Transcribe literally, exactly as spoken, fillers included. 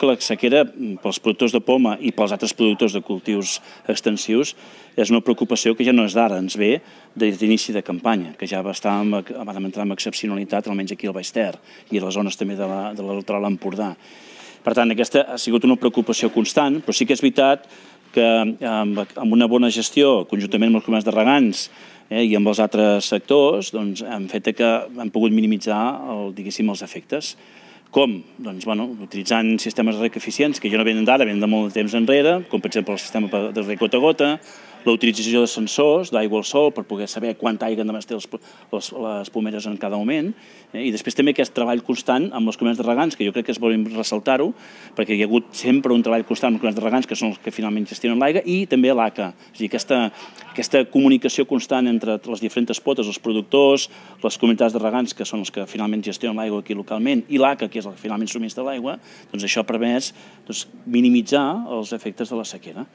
que la sequera, pels productors de poma i pels altres productors de cultius extensius, és una preocupació que ja no és d'ara, ens ve des d'inici de campanya, que ja va estar vam entrar amb excepcionalitat, almenys aquí al Baix Ter, i a les zones també de l'Altoral Empordà. Per tant, aquesta ha sigut una preocupació constant, però sí que és veritat que amb una bona gestió, conjuntament amb els comerç de regants i amb els altres sectors, han fet que han pogut minimitzar, diguéssim, els efectes. Com? Doncs, bueno, utilitzant sistemes de reg eficients, que ja no venen d'ara, venen de molt de temps enrere, com per exemple el sistema de reg gota a gota, la utilització de sensors d'aigua al sol per poder saber quanta aigua han de ter les pomeres en cada moment, i després també aquest treball constant amb els comerç de regants, que jo crec que és bo ressaltar-ho, perquè hi ha hagut sempre un treball constant amb els comerç de regants, que són els que finalment gestionen l'aigua, i també l'A C A, és a dir, aquesta comunicació constant entre les diferents potes, els productors, les comunitats de regants, que són els que finalment gestionen l'aigua aquí localment, i l'A C A, que és el que finalment subministra l'aigua, doncs això ha permès minimitzar els efectes de la sequera.